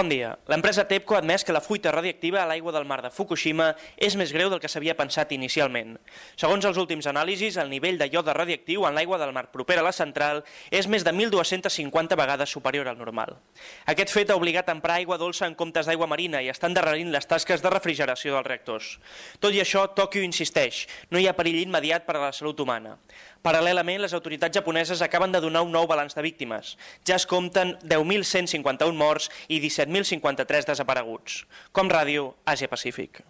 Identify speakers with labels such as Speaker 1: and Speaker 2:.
Speaker 1: Bon dia. L'empresa TEPCO ha admès que la fuita radiactiva a l'aigua del mar de Fukushima és més greu del que s'havia pensat inicialment. Segons els últims anàlisis, el nivell de iode radiactiu en l'aigua del mar propera a la central és més de 1.250 vegades superior al normal. Aquest fet ha obligat a emprar aigua dolça en comptes d'aigua marina i està endarrerint les tasques de refrigeració dels reactors. Tot i això, Tòquio insisteix, no hi ha perill immediat per a la salut humana. Paral·lelament, les autoritats japoneses acaben de donar un nou balanç de víctimes. Ja es compten 10.151 morts i 17.053 desapareguts. Com Ràdio, Àsia Pacífic.